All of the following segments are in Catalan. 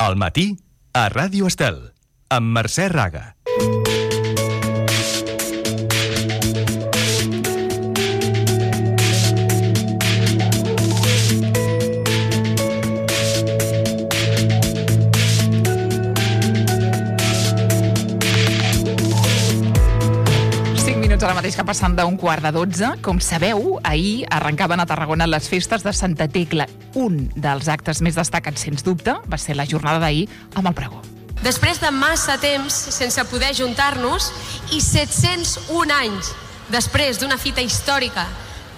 Al matí, a Ràdio Estel, amb Mercè Raga. Ara mateix que passant d'un 11:15. Com sabeu, ahir arrencaven a Tarragona les festes de Santa Tecla. Un dels actes més destacats, sens dubte, va ser la jornada d'ahir amb el pregó. Després de massa temps sense poder juntar-nos i 701 anys després d'una fita històrica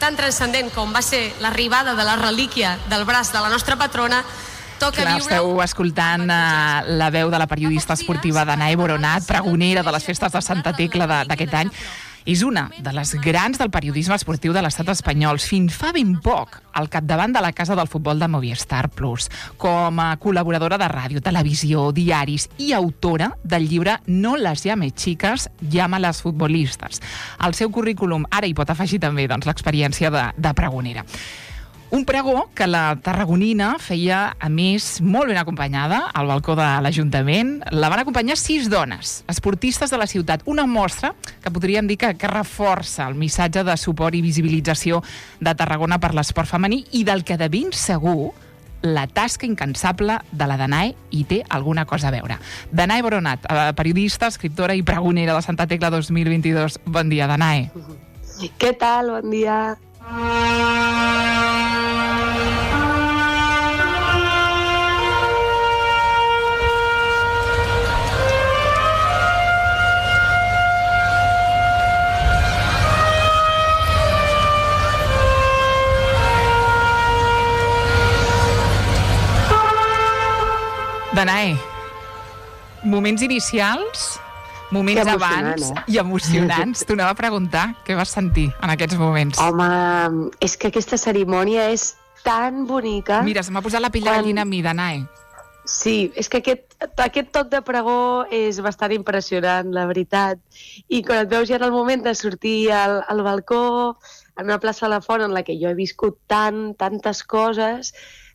tan transcendent com va ser l'arribada de la relíquia del braç de la nostra patrona, Clar, esteu escoltant la veu de la periodista esportiva Danae Boronat, pregonera de les festes de Santa Tecla d'aquest any. És una de les grans del periodisme esportiu de l'estat espanyol. Fins fa ben poc, al capdavant de la Casa del Futbol de Movistar Plus, com a col·laboradora de ràdio, televisió, diaris i autora del llibre No les llames chicas, llámalas futbolistas. Al seu currículum ara hi pot afegir també l'experiència de pregonera. Un pregó que la tarragonina feia, a més, molt ben acompanyada al balcó de l'Ajuntament. La van acompanyar 6 dones, esportistes de la ciutat. Una mostra que podríem dir que reforça el missatge de suport i visibilització de Tarragona per l'esport femení i del que de ben segur la tasca incansable de la Danae hi té alguna cosa a veure. Danae Boronat, periodista, escriptora i pregonera de Santa Tecla 2022. Bon dia, Danae. Què tal? Bon dia. Danae, moments inicials, moments abans i emocionants. T'ho anava a preguntar què vas sentir en aquests moments. Home, és que aquesta cerimònia és tan bonica. Mira, se m'ha posat la pell de gallina a mi, Danae. Sí, és que aquest toc de pregó és bastant impressionant, la veritat. I quan et veus ja en el moment de sortir al balcó, en una plaça de la Font en la que jo he viscut tantes coses,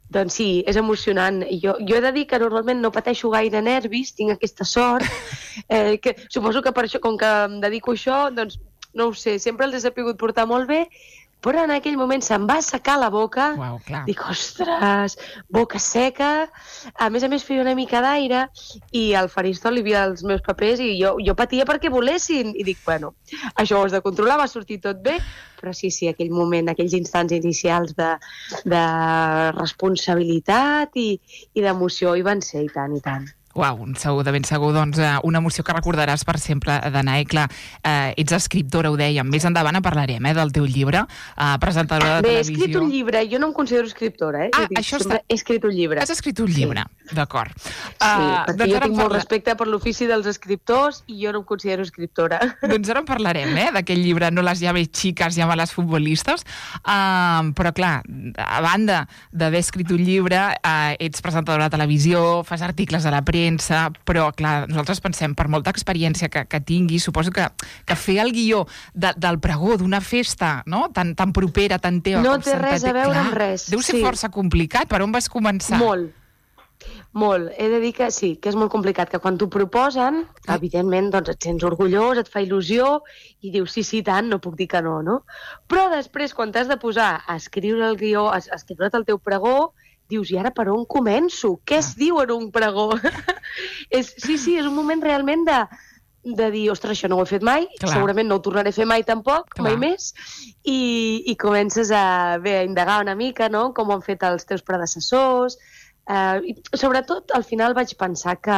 doncs sí, és emocionant. Jo he de dir que normalment no pateixo gaire nervis, tinc aquesta sort, que suposo que per això, com que em dedico a això, doncs no ho sé, sempre els he sabut portar molt bé, però en aquell moment se'm va assecar la boca. Uau, clar. Dic, ostres, boca seca. A més feia una mica d'aire i al faristol hi havia els meus papers i jo patia perquè volessin. I dic, bueno, això ho has de controlar, va sortir tot bé. Però sí, aquell moment, aquells instants inicials de responsabilitat i d'emoció hi van ser, i tant, i tant. Uau, de ben segur, doncs, una emoció que recordaràs per sempre, Danae. Clar, ets escriptora, ho dèiem. Més endavant en parlarem, del teu llibre, presentadora de televisió. Bé, he escrit un llibre, jo no em considero escriptora, Això està... He escrit un llibre. Has escrit un llibre, d'acord. Sí, perquè jo tinc molt respecte per l'ofici dels escriptors i jo no em considero escriptora. Doncs ara en parlarem, d'aquell llibre No les llames chicas, llámalas futbolistas. Però, clar, a banda d'haver escrit un llibre, ets presentadora de televisió, fas articles a la premsa, però, clar, nosaltres pensem, per molta experiència que tinguis, suposo que fer el guió del pregó d'una festa, no?, tan propera, tan teva no com Santa Tecla... No té res a veure amb res. Deu ser força complicat. Per on vas començar? Molt. He de dir que sí, que és molt complicat, que quan t'ho proposen, evidentment, doncs et sents orgullós, et fa il·lusió, i dius, sí, tant, no puc dir que no? Però després, quan t'has de posar a escriure el guió, a escriure't el teu pregó, dius, i ara per on començo? Què es diu en un pregó? Sí, és un moment realment de dir, ostres, això no ho he fet mai, segurament no ho tornaré a fer mai tampoc, mai més, i comences a indagar una mica, no?, com ho han fet els teus predecessors, i sobretot al final vaig pensar que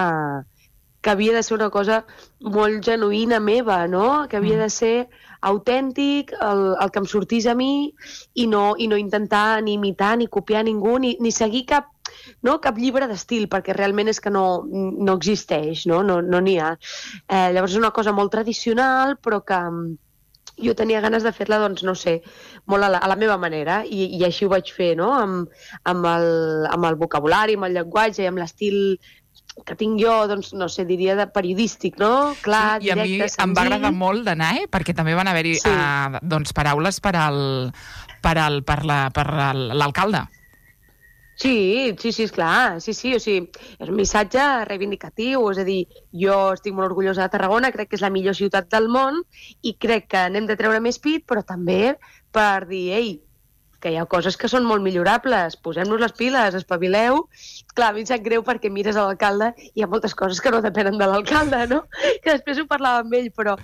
havia de ser una cosa molt genuïna meva, no?, que havia de ser autèntic, el que em sortís a mi, i no intentar ni imitar ni copiar ningú, ni seguir cap llibre d'estil, perquè realment és que no existeix, no n'hi ha. Llavors és una cosa molt tradicional, però que jo tenia ganes de fer-la, doncs, no sé, molt a la meva manera, i així ho vaig fer, no?, amb el vocabulari, amb el llenguatge i amb l'estil que tinc jo, doncs, no sé, diria de periodístic, no? Clar, sí, directe, senzill. I a mi em va agradar molt, Danae, perquè també van haver-hi paraules per l'alcalde. Sí, esclar, sí, o sigui, és un missatge reivindicatiu, és a dir, jo estic molt orgullosa de Tarragona, crec que és la millor ciutat del món i crec que n'hem de treure més pit, però també per dir, ei, que hi ha coses que són molt millorables, posem-nos les piles, espavileu. Clar, a mi em sap greu perquè mires a l'alcalde i hi ha moltes coses que no depenen de l'alcalde, no? Que després ho parlava amb ell, però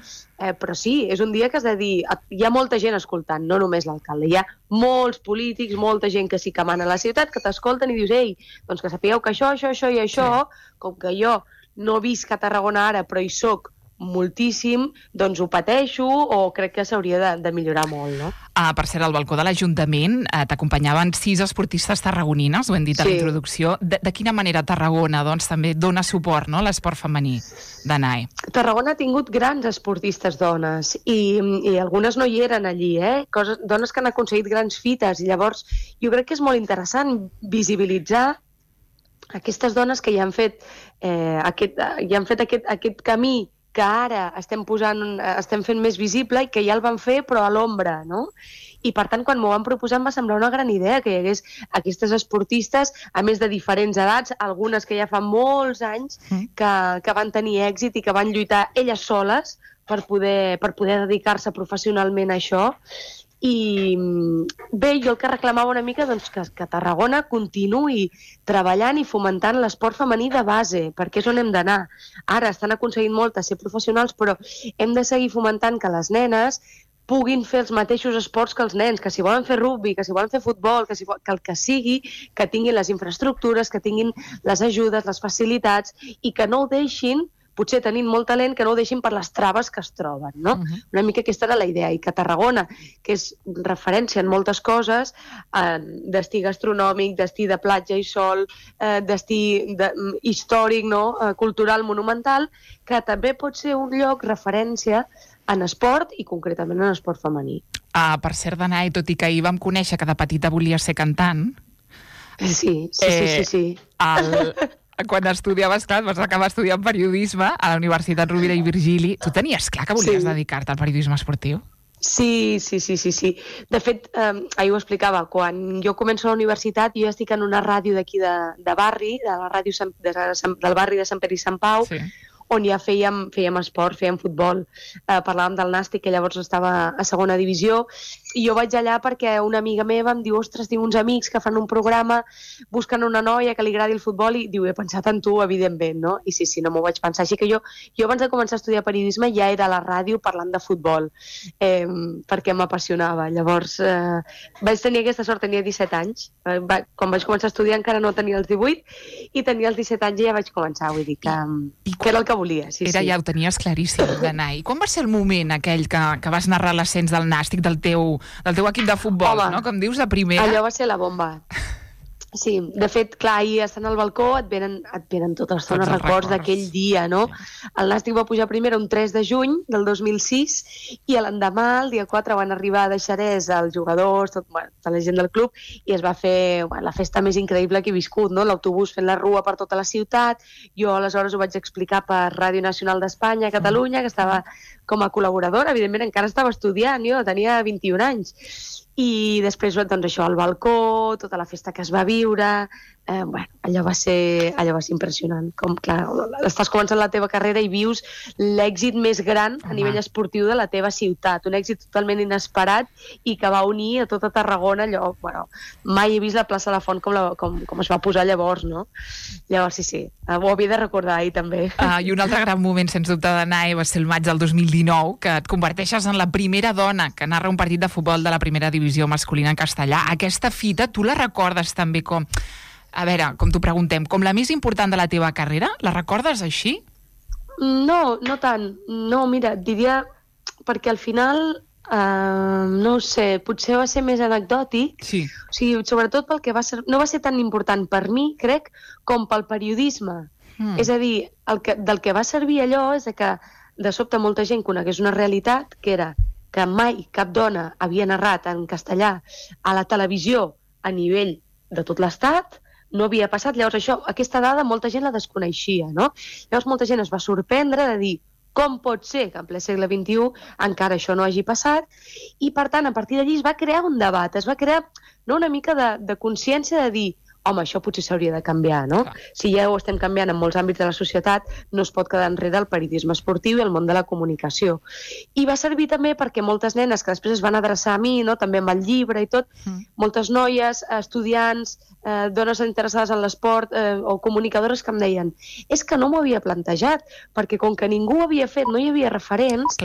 sí, és un dia que has de dir... Hi ha molta gent escoltant, no només l'alcalde. Hi ha molts polítics, molta gent que sí que mana a la ciutat, que t'escolten i dius, ei, doncs que sapigueu que això i això, com que jo no visc a Tarragona ara, però hi soc moltíssim, doncs ho pateixo o crec que s'hauria de millorar molt, no? Per cert, al balcó de l'Ajuntament t'acompanyaven 6 esportistes tarragonines, ho hem dit a la introducció. De quina manera Tarragona doncs, també dona suport, no?, a l'esport femení de NAE? Tarragona ha tingut grans esportistes dones i algunes no hi eren allí, dones que han aconseguit grans fites, i llavors jo crec que és molt interessant visibilitzar aquestes dones que ja han fet aquest camí que ara estem fent més visible i que ja el van fer però a l'ombra, no? I per tant, quan m'ho van proposar em va semblar una gran idea que hi hagués aquestes esportistes, a més de diferents edats, algunes que ja fa molts anys que van tenir èxit i que van lluitar elles soles per poder dedicar-se professionalment a això. I bé, jo el que reclamava una mica doncs, que Tarragona continuï treballant i fomentant l'esport femení de base, perquè és on hem d'anar. Ara estan aconseguint molt a ser professionals, però hem de seguir fomentant que les nenes puguin fer els mateixos esports que els nens, que si volen fer rugbi, que si volen fer futbol, que el que sigui, que tinguin les infraestructures, que tinguin les ajudes, les facilitats, i que no ho deixin, potser tenint molt talent, que no ho deixin per les traves que es troben, no? Una mica aquesta era la idea, i que Tarragona, que és referència en moltes coses, destí gastronòmic, destí de platja i sol, destí històric, no?, cultural, monumental, que també pot ser un lloc referència en esport i concretament en esport femení. Per cert, Danae, tot i que ahir vam conèixer que de petita volia ser cantant... Sí. Quan estudiaves, clar, vas acabar estudiant periodisme a la Universitat Rovira i Virgili. Tu tenies clar que volies dedicar-te al periodisme esportiu? Sí. De fet, ahir ho explicava, quan jo començo a la universitat, jo estic en una ràdio d'aquí de barri, de la ràdio del barri de Sant Pere i Sant Pau, on ja fèiem esport, fèiem futbol, parlàvem del Nàstic, que llavors estava a segona divisió, i jo vaig allà perquè una amiga meva em diu, ostres, tinc uns amics que fan un programa, busquen una noia que li agradi el futbol, i diu, he pensat en tu, evidentment, no? I sí, no m'ho vaig pensar. Així que jo abans de començar a estudiar periodisme ja era a la ràdio parlant de futbol, perquè m'apassionava. Llavors, vaig tenir aquesta sort, tenia 17 anys. Quan vaig començar a estudiar encara no tenia els 18, i tenia els 17 anys i ja vaig començar, vull dir que era el que volia. Ja ho tenies claríssim, Danae. I quan va ser el moment aquell que vas narrar l'ascens del Nàstic, del teu equip de futbol, no? Com dius, de primera? Allò va ser la bomba. Sí, de fet, clar, ahir estant al balcó et venen totes les zones records d'aquell dia, no? El Nàstic va pujar primera un 3 de juny del 2006 i l'endemà, el dia 4, van arribar de Xerès els jugadors, tota la gent del club, i es va fer la festa més increïble que he viscut, no? L'autobús fent la rua per tota la ciutat. Jo aleshores ho vaig explicar per Ràdio Nacional d'Espanya a Catalunya, que estava com a col·laboradora, evidentment encara estava estudiant, jo tenia 21 anys. I després, doncs això, al balcó, tota la festa que es va viure, allò va ser impressionant. Com, clar, estàs començant la teva carrera i vius l'èxit més gran a nivell esportiu de la teva ciutat, un èxit totalment inesperat i que va unir a tota Tarragona. Allò, mai he vist la plaça de la Font com es va posar llavors, no? Llavors, sí, ho havia de recordar ahir també. I un altre gran moment, sens dubte, d'Anae, va ser el maig del 2019, que et converteixes en la primera dona que narra un partit de futbol de la primera divisió masculina en castellà. Aquesta fita, tu la recordes també com... A veure, com t'ho preguntem, com la més important de la teva carrera? La recordes així? No tant. No, mira, diria... Perquè al final, no ho sé, potser va ser més anecdòtic. Sí. O sigui, sobretot pel que no va ser tan important per mi, crec, com pel periodisme. És a dir, del que va servir allò és que de sobte molta gent conegués una realitat que era que mai cap dona havia narrat en castellà a la televisió a nivell de tot l'Estat, no havia passat. Llavors aquesta dada molta gent la desconeixia, no? Llavors molta gent es va sorprendre de dir com pot ser que en ple segle XXI encara això no hagi passat, i per tant a partir d'allí es va crear un debat, es va crear una mica de consciència de dir, home, això potser s'hauria de canviar, no? Si ja ho estem canviant en molts àmbits de la societat, no es pot quedar enrere el periodisme esportiu i el món de la comunicació. I va servir també perquè moltes nenes que després es van adreçar a mi, no? També amb el llibre i tot, moltes noies, estudiants, dones interessades en l'esport o comunicadores que em deien és que no m'ho havia plantejat, perquè com que ningú ho havia fet, no hi havia referents,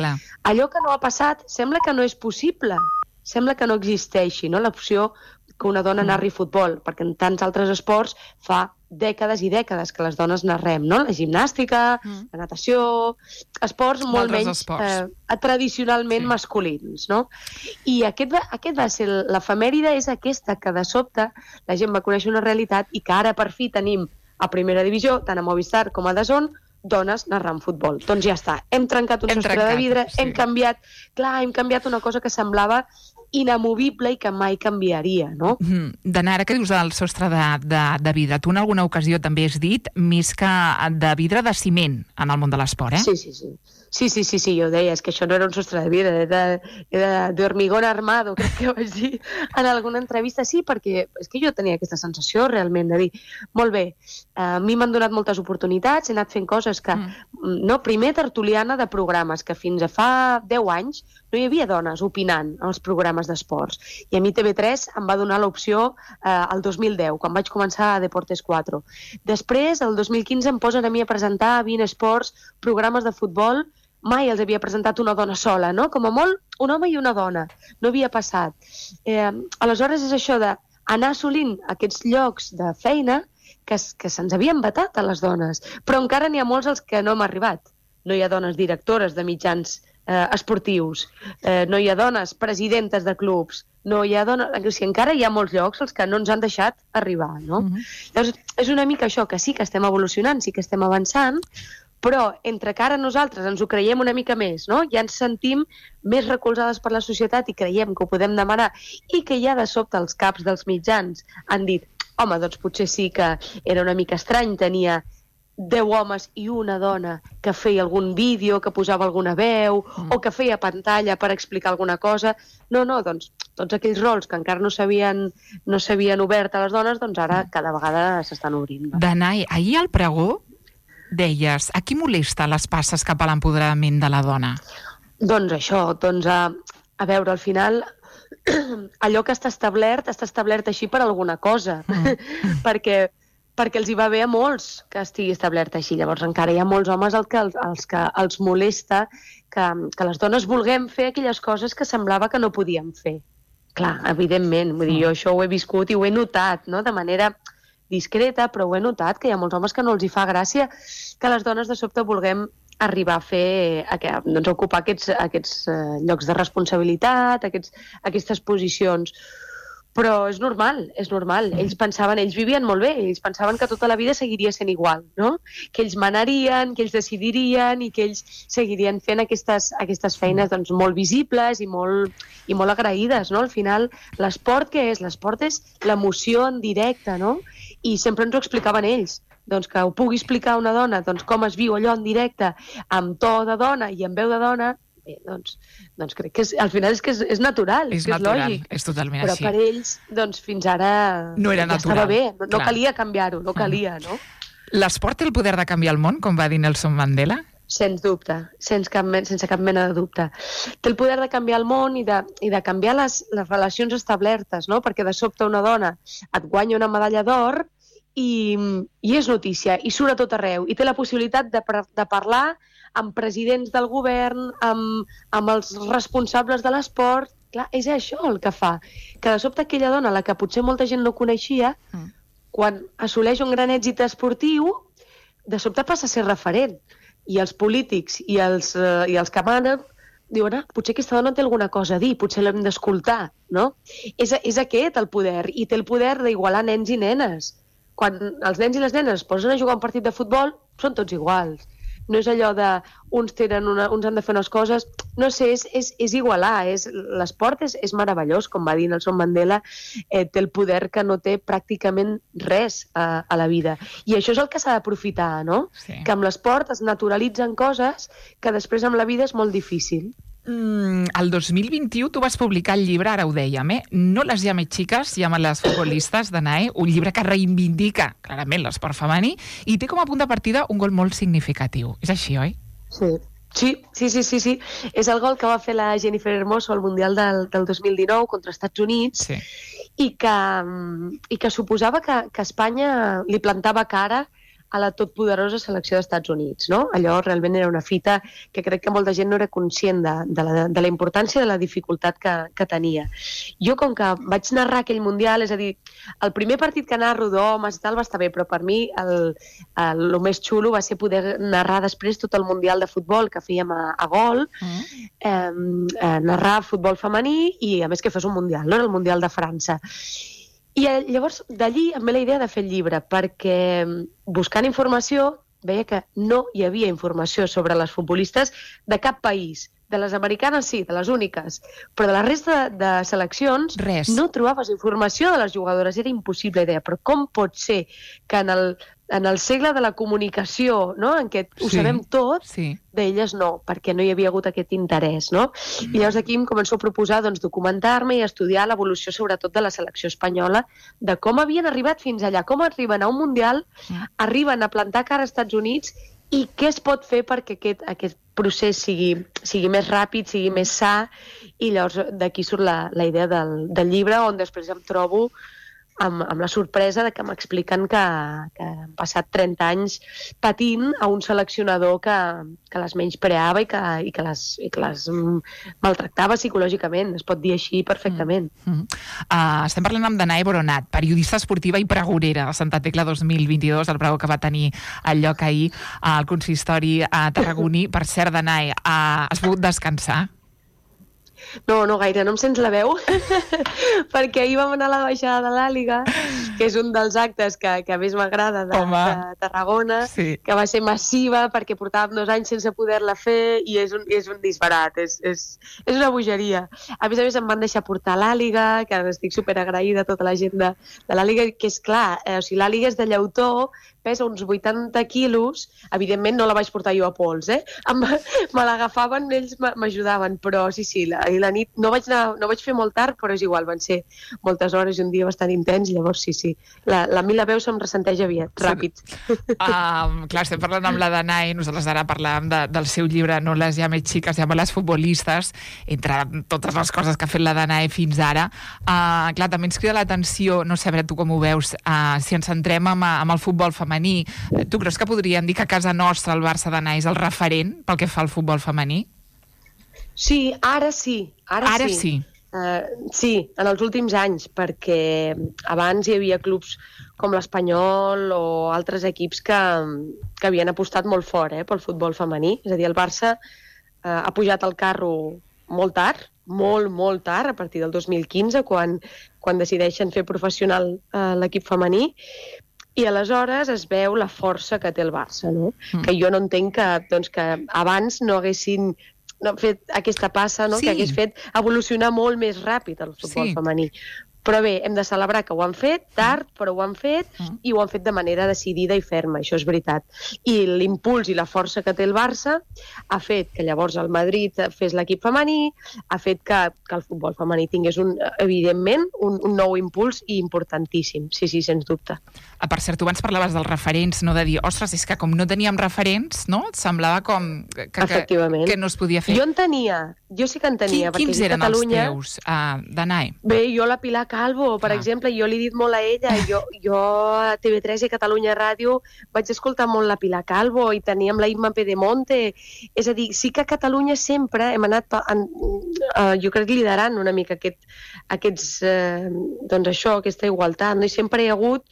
allò que no ha passat sembla que no és possible, sembla que no existeixi, no? L'opció que una dona narri futbol, perquè en tants altres esports fa dècades i dècades que les dones narrem, no? La gimnàstica, la natació, esports molt menys tradicionalment masculins, no? I aquest va ser l'efemèride, és aquesta que de sobte la gent va conèixer una realitat i que ara per fi tenim a primera divisió, tant a Movistar com a DAZN, dones narrant futbol. Doncs ja està, hem trencat un sostre de vidre, hem canviat una cosa que semblava inamovible i que mai canviaria, no? Dana, ara que dius del sostre de vidre, tu en alguna ocasió també has dit més que de vidre, de ciment en el món de l'esport, eh? Sí, jo deia, és que això no era un sostre de vidre, era de hormigón armado, crec que vaig dir en alguna entrevista. Sí, perquè és que jo tenia aquesta sensació realment de dir, molt bé, a mi m'han donat moltes oportunitats, he anat fent coses que... No, primer tertuliana de programes, que fins a fa 10 anys no hi havia dones opinant als programes d'esports. I a mi TV3 em va donar l'opció el 2010, quan vaig començar a Deportes 4. Després, el 2015, em posen a mi a presentar a 20 Esports programes de futbol. Mai els havia presentat una dona sola, no? Com a molt, un home i una dona. No havia passat. Aleshores és això d'anar assolint aquests llocs de feina que se'ns havien vetat a les dones. Però encara n'hi ha molts als que no hem arribat. No hi ha dones directores de mitjans esportius, no hi ha dones presidentes de clubs, no hi ha dones... O sigui, encara hi ha molts llocs als que no ens han deixat arribar, no? Llavors, és una mica això, que sí que estem evolucionant, sí que estem avançant, però entre que ara nosaltres ens ho creiem una mica més, no? Ja ens sentim més recolzades per la societat i creiem que ho podem demanar, i que ja de sobte els caps dels mitjans han dit, home, doncs potser sí que era una mica estrany, tenia 10 homes i una dona que feia algun vídeo, que posava alguna veu, o que feia pantalla per explicar alguna cosa. No, doncs tots aquells rols que encara no s'havien obert a les dones, doncs ara cada vegada s'estan obrint. Danai, ahir al pregó deies, a qui molesta les passes cap a l'empoderament de la dona? Doncs això, a veure, al final allò que està establert així per alguna cosa, perquè els hi va bé a molts que estigui establert així. Llavors encara hi ha molts homes als que els molesta que les dones vulguem fer aquelles coses que semblava que no podíem fer. Clar, evidentment, vull dir, jo això ho he viscut i ho he notat, no?, de manera discreta, però ho he notat, que hi ha molts homes que no els hi fa gràcia que les dones de sobte vulguem arribar a fer, doncs, a ocupar aquests llocs de responsabilitat, aquestes posicions. Però és normal. Ells vivien molt bé, ells pensaven que tota la vida seguiria sent igual, no? Que ells manarien, que ells decidirien i que ells seguirien fent aquestes feines doncs, molt visibles i molt agraïdes, no? Al final, l'esport què és? L'esport és l'emoció en directe, no? I sempre ens ho explicaven ells. Doncs que ho pugui explicar una dona, doncs com es viu allò en directe, amb to de dona i amb veu de dona, doncs crec que al final és natural, és lògic. És totalment però així. Però per ells, doncs fins ara no era natural. Estava bé, no calia canviar-ho, no calia, no? L'esport té el poder de canviar el món, com va dir Nelson Mandela? Sens dubte, sense cap mena de dubte. Té el poder de canviar el món i de canviar les relacions establertes, no? Perquè de sobte una dona et guanya una medalla d'or i és notícia, i surt a tot arreu, i té la possibilitat de parlar amb presidents del govern, amb els responsables de l'esport. Clar, és això el que fa. Que de sobte aquella dona, la que potser molta gent no coneixia, quan assoleix un gran èxit esportiu, de sobte passa a ser referent. I els polítics i els que manen diuen, potser aquesta dona té alguna cosa a dir, potser l'hem d'escoltar, no? És aquest el poder, i té el poder d'igualar nens i nenes. Quan els nens i les nenes es posen a jugar un partit de futbol, són tots iguals. No és allò de uns han de fer unes coses... No sé, és igualar. L'esport és meravellós, com va dir Nelson Mandela, té el poder que no té pràcticament res a la vida. I això és el que s'ha d'aprofitar, no? Sí. Que amb l'esport es naturalitzen coses que després amb la vida és molt difícil. El 2021 tu vas publicar el llibre, ara ho dèiem, No les llames xiques, llamen les futbolistes, d'Anae, un llibre que reivindica clarament l'esport femení i té com a punt de partida un gol molt significatiu. És així, oi? Sí. És el gol que va fer la Jennifer Hermoso al Mundial del 2019 contra els Estats Units i que suposava que Espanya li plantava cara a la totpoderosa selecció dels Estats Units, no? Allò realment era una fita que crec que molta gent no era conscient de la importància de la dificultat que tenia. Jo, com que vaig narrar aquell Mundial, és a dir, el primer partit que narro d'homes i tal va estar bé, però per mi el més xulo va ser poder narrar després tot el Mundial de futbol que fèiem a Gol, narrar futbol femení i, a més, que fos un Mundial, no? Era el Mundial de França. I llavors, d'allí em ve la idea de fer el llibre, perquè buscant informació veia que no hi havia informació sobre les futbolistes de cap país. De les americanes sí, de les úniques, però de la resta de seleccions no trobaves informació de les jugadores, era impossible. Deia, però com pot ser que en el segle de la comunicació, no?, en què ho sabem tot, d'elles no, perquè no hi havia hagut aquest interès, no? I llavors aquí em començo a proposar documentar-me i estudiar l'evolució sobretot de la selecció espanyola, de com havien arribat fins allà, com arriben a un Mundial, arriben a plantar cara als Estats Units i què es pot fer perquè aquest procés sigui més ràpid, sigui més sa, i llavors d'aquí surt la idea del llibre, on després em trobo amb la sorpresa de que m'expliquen que han passat 30 anys patint a un seleccionador que les menyspreava i que les maltractava psicològicament, es pot dir així perfectament. Estem parlant amb Danae Boronat, periodista esportiva i pregonera de Santa Tecla 2022, el pregó que va tenir el lloc ahir al consistori tarragoní. Per cert, Danae, has pogut descansar? No gaire, no em sents la veu, perquè ahir vam anar a la baixada de l'Àliga, que és un dels actes que més m'agrada de Tarragona, que va ser massiva perquè portàvem 2 anys sense poder-la fer i és un disbarat, és una bogeria. A més, em van deixar portar a l'Àliga, que estic superagraïda a tota la gent de l'Àliga, que és clar, l'Àliga és de llautó, pesa uns 80 quilos, evidentment no la vaig portar jo a pols, me l'agafaven, ells m'ajudaven, però sí, ahir la nit no vaig fer molt tard, però és igual, van ser moltes hores i un dia bastant intens, llavors sí, la veu se'm ressenteix aviat, ràpid. Clar, estem parlant amb la Danae, nosaltres ara parlàvem del seu llibre No les llames xiques, llamen les futbolistes, entre totes les coses que ha fet la Danae fins ara. Clar, també ens crida l'atenció, no sé, a veure tu com ho veus, si ens centrem amb el futbol femení. Tu creus que podríem dir que a casa nostra el Barça d'Anae és el referent pel que fa al futbol femení? Sí, ara sí. Sí, en els últims anys, perquè abans hi havia clubs com l'Espanyol o altres equips que havien apostat molt fort pel futbol femení. És a dir, el Barça ha pujat al carro molt tard, molt tard, a partir del 2015, quan decideixen fer professional l'equip femení, i aleshores es veu la força que té el Barça, no? Que jo no entenc que abans no haguessin fet aquesta passa, no? Que hagués fet evolucionar molt més ràpid el futbol femení. Però bé, hem de celebrar que ho han fet, tard, però ho han fet, i ho han fet de manera decidida i ferma, això és veritat. I l'impuls i la força que té el Barça ha fet que llavors el Madrid fes l'equip femení, ha fet que el futbol femení tingués, evidentment, un nou impuls i importantíssim, sí, sens dubte. Per cert, tu abans parlaves dels referents, no de dir, ostres, és que com no teníem referents, no? Et semblava com que no es podia fer. Jo sí que en tenia. Quins eren els teus, Danae? Bé, jo la Pilar Calvo, per exemple, jo li he dit molt a ella, jo a TV3 i a Catalunya Ràdio vaig escoltar molt la Pilar Calvo i teníem la Imma Pedemonte, és a dir, sí que a Catalunya sempre hem anat, jo crec, liderant una mica aquesta igualtat, no? I sempre hi ha hagut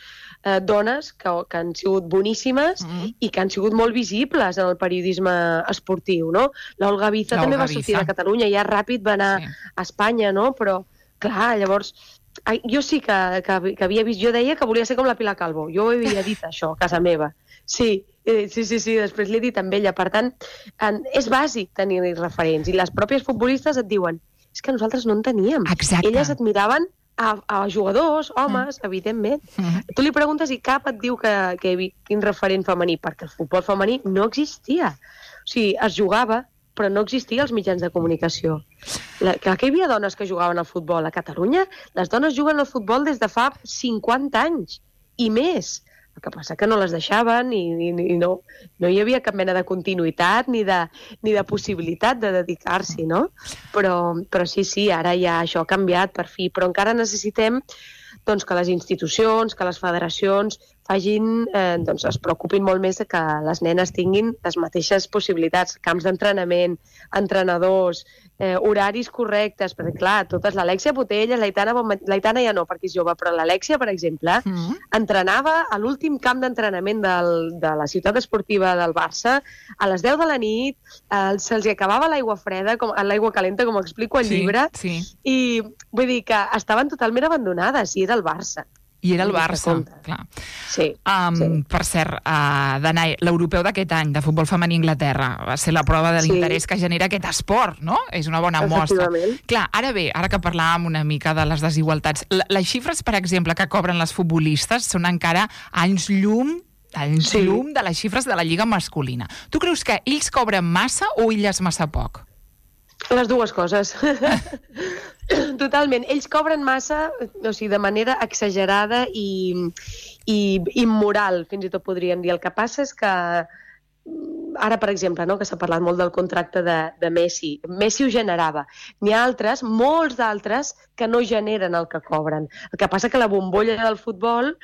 dones que han sigut boníssimes i que han sigut molt visibles en el periodisme esportiu, no? L'Olga Biza també va sortir de Catalunya, ja ràpid va anar a Espanya, no? Però, clar, llavors, jo sí que havia vist, jo deia que volia ser com la Pilar Calvo, jo ho havia dit això a casa meva, sí, després l'he dit amb ella, per tant, és bàsic tenir referents, i les pròpies futbolistes et diuen, és que nosaltres no en teníem. Exacte. Elles admiraven a jugadors, homes, evidentment. Tu li preguntes i cap et diu quin referent femení, perquè el futbol femení no existia. O sigui, es jugava, però no existien els mitjans de comunicació. Clar que hi havia dones que jugaven al futbol. A Catalunya les dones juguen al futbol des de fa 50 anys i més. El que passa que no les deixaven i no hi havia cap mena de continuïtat ni de possibilitat de dedicar-s'hi, no? Però sí, ara ja això ha canviat per fi, però encara necessitem doncs, que les institucions, que les federacions es preocupin molt més de que les nenes tinguin les mateixes possibilitats, camps d'entrenament, entrenadors, horaris correctes, perquè clar, totes, l'Alexia Putellas, l'Aitana ja no, perquè és jove, però l'Alexia, per exemple, entrenava a l'últim camp d'entrenament de la ciutat esportiva del Barça, a les 10 de la nit, se'ls acabava l'aigua freda, l'aigua calenta, com explico al llibre, i vull dir que estaven totalment abandonades, i era el Barça. I era el Barça, clar. Sí. Per cert, Danai, l'europeu d'aquest any de futbol femení a Anglaterra va ser la prova de l'interès que genera aquest esport, no? És una bona mostra. Clar, ara que parlàvem una mica de les desigualtats, les xifres, per exemple, que cobren les futbolistes són encara anys llum de les xifres de la lliga masculina. Tu creus que ells cobren massa o elles massa poc? Les dues coses. Totalment. Ells cobren massa, o sigui, de manera exagerada i immoral, fins i tot podríem dir. El que passa és que ara, per exemple, no, que s'ha parlat molt del contracte de Messi. Messi ho generava. N'hi ha altres, molts d'altres, que no generen el que cobren. El que passa que la bombolla del futbol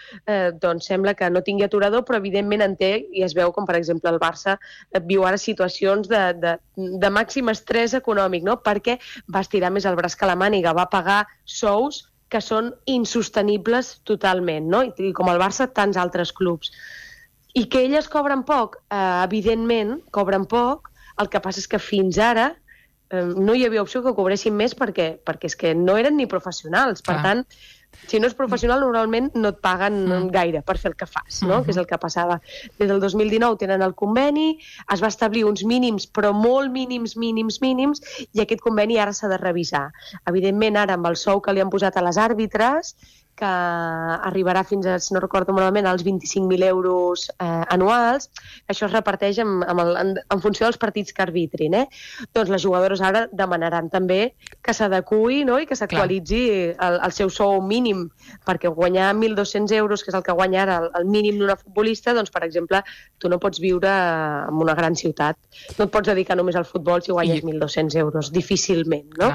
doncs sembla que no tingui aturador, però evidentment en té, i es veu com, per exemple, el Barça viu ara situacions de màxim estrès econòmic, no? Perquè va estirar més el braç que la màniga, va pagar sous que són insostenibles totalment, no? I com el Barça, tants altres clubs. I que elles cobren poc? Evidentment, cobren poc. El que passa és que fins ara no hi havia opció que cobressin més perquè és que no eren ni professionals. Per tant, si no és professional, normalment no et paguen gaire per fer el que fas, no? Que és el que passava. Des del 2019 tenen el conveni, es va establir uns mínims, però molt mínims, i aquest conveni ara s'ha de revisar. Evidentment, ara amb el sou que li han posat a les àrbitres, que arribarà fins a, si no recordo malament, als 25.000 euros anuals, això es reparteix en funció dels partits que arbitrin. Doncs les jugadores ara demanaran també que s'adequi, no? I que s'actualitzi el seu sou mínim, perquè guanyar 1.200 euros, que és el que guanya ara el mínim d'una futbolista, doncs, per exemple, tu no pots viure en una gran ciutat. No et pots dedicar només al futbol si guanyes 1.200 euros, difícilment, no?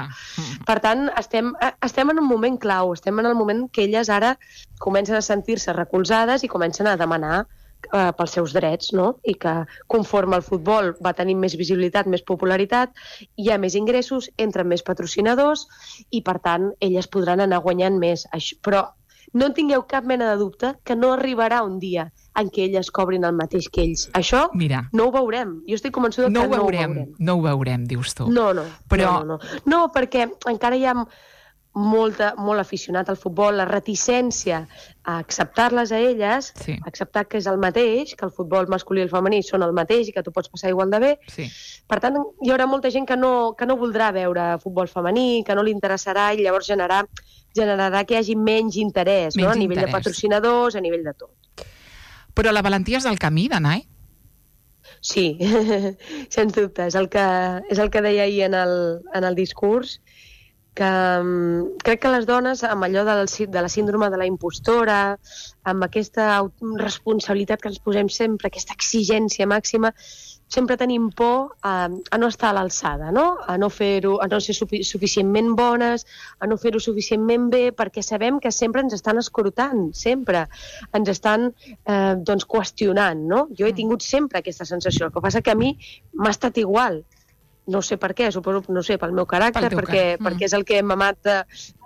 Per tant, estem en un moment clau, estem en el moment que elles ara comencen a sentir-se recolzades i comencen a demanar pels seus drets, no? I que conforme el futbol va tenir més visibilitat, més popularitat, hi ha més ingressos, entren més patrocinadors i, per tant, elles podran anar guanyant més. Però no en tingueu cap mena de dubte que no arribarà un dia en què elles cobrin el mateix que ells. Això no ho veurem. Jo estic convençuda que no ho veurem. No ho veurem, dius tu. No, perquè encara hi ha molt aficionat al futbol, la reticència a acceptar-les a elles, acceptar que és el mateix, que el futbol masculí i el femení són el mateix i que tu pots passar igual de bé. Per tant, hi haurà molta gent que no voldrà veure futbol femení, que no li interessarà, i llavors generarà que hi hagi menys interès, a nivell de patrocinadors, a nivell de tot. Però la valentia és el camí, Danai? Sí, sens dubte. És el que deia ahir en el discurs, que crec que les dones, amb allò de la síndrome de la impostora, amb aquesta responsabilitat que ens posem sempre, aquesta exigència màxima, sempre tenim por a no estar a l'alçada, no? A no ser suficientment bones, a no fer-ho suficientment bé, perquè sabem que sempre ens estan escrutant, sempre. Ens estan qüestionant, no? Jo he tingut sempre aquesta sensació. El que passa que a mi m'ha estat igual. No sé per què, suposo, no sé, pel meu caràcter, perquè és el que hem mamat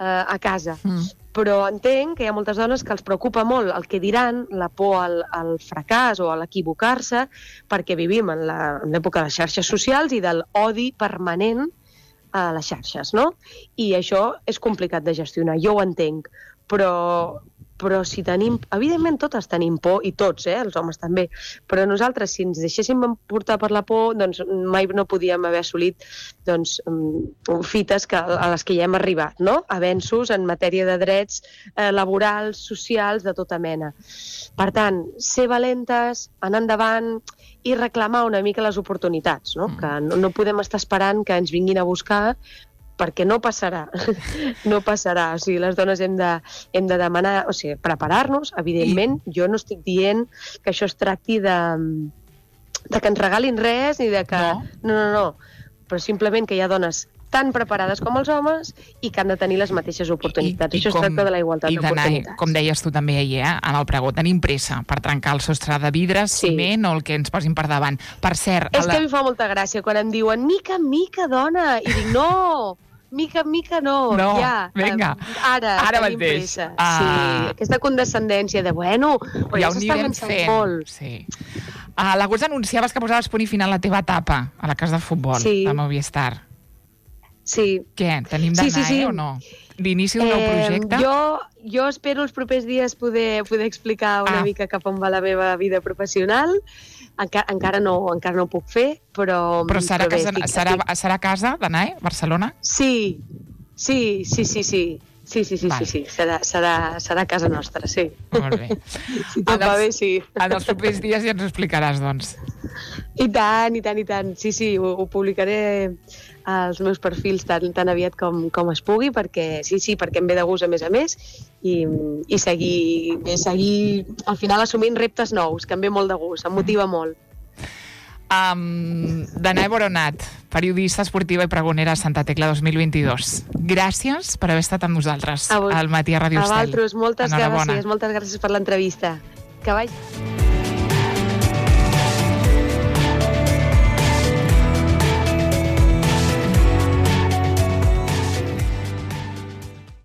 a casa. Però entenc que hi ha moltes dones que els preocupa molt el que diran, la por al fracàs o a l'equivocar-se, perquè vivim en l'època de les xarxes socials i de l'odi permanent a les xarxes, no? I això és complicat de gestionar, jo ho entenc, però però si tenim... Evidentment totes tenim por, i tots, els homes també, però nosaltres, si ens deixéssim portar per la por, doncs mai no podíem haver assolit doncs, fites a les que ja hem arribat, no? Avenços en matèria de drets laborals, socials, de tota mena. Per tant, ser valentes, anar endavant i reclamar una mica les oportunitats, no? Que no podem estar esperant que ens vinguin a buscar, perquè no passarà, no passarà. O sigui, les dones hem de demanar, o sigui, preparar-nos, evidentment. Jo no estic dient que això es tracti de que ens regalin res, ni de que... No. Però simplement que hi ha dones tan preparades com els homes i que han de tenir les mateixes oportunitats. Això es tracta de la igualtat d'oportunitats. Com deies tu també ahir, en el pregó, tenim pressa per trencar el sostre de vidre, ciment o el que ens posin per davant. Per cert... És que a mi fa molta gràcia quan em diuen mica en mica, dona, i dic no... Mica en mica no, ja. Vinga, ara tenim mateix. Pressa. Sí, aquesta condescendència de, bueno, però ja s'està avançant molt. Sí. L'agost anunciaves que posaves punt i final a la teva etapa a la casa de futbol, de Movistar. Sí. Què, tenim d'anar, o no? L'inici d'un nou projecte? Jo espero els propers dies poder explicar una mica cap on va la meva vida professional. Encara no ho puc fer, però... Però serà a casa d'anar, Barcelona? Sí. Serà a casa nostra, sí. Molt bé. Si tot va bé, sí. En els propers dies ja ens ho explicaràs, doncs. I tant. Sí, ho publicaré als meus perfils tan aviat com es pugui, perquè perquè em ve de gust a més, i seguir al final assumint reptes nous, que em ve molt de gust, em motiva molt. Danae Boronat, periodista esportiva i pregonera a Santa Tecla 2022. Gràcies per haver estat amb nosaltres al matí a Ràdio Estel. A vosaltres, moltes gràcies per l'entrevista. Que vagi.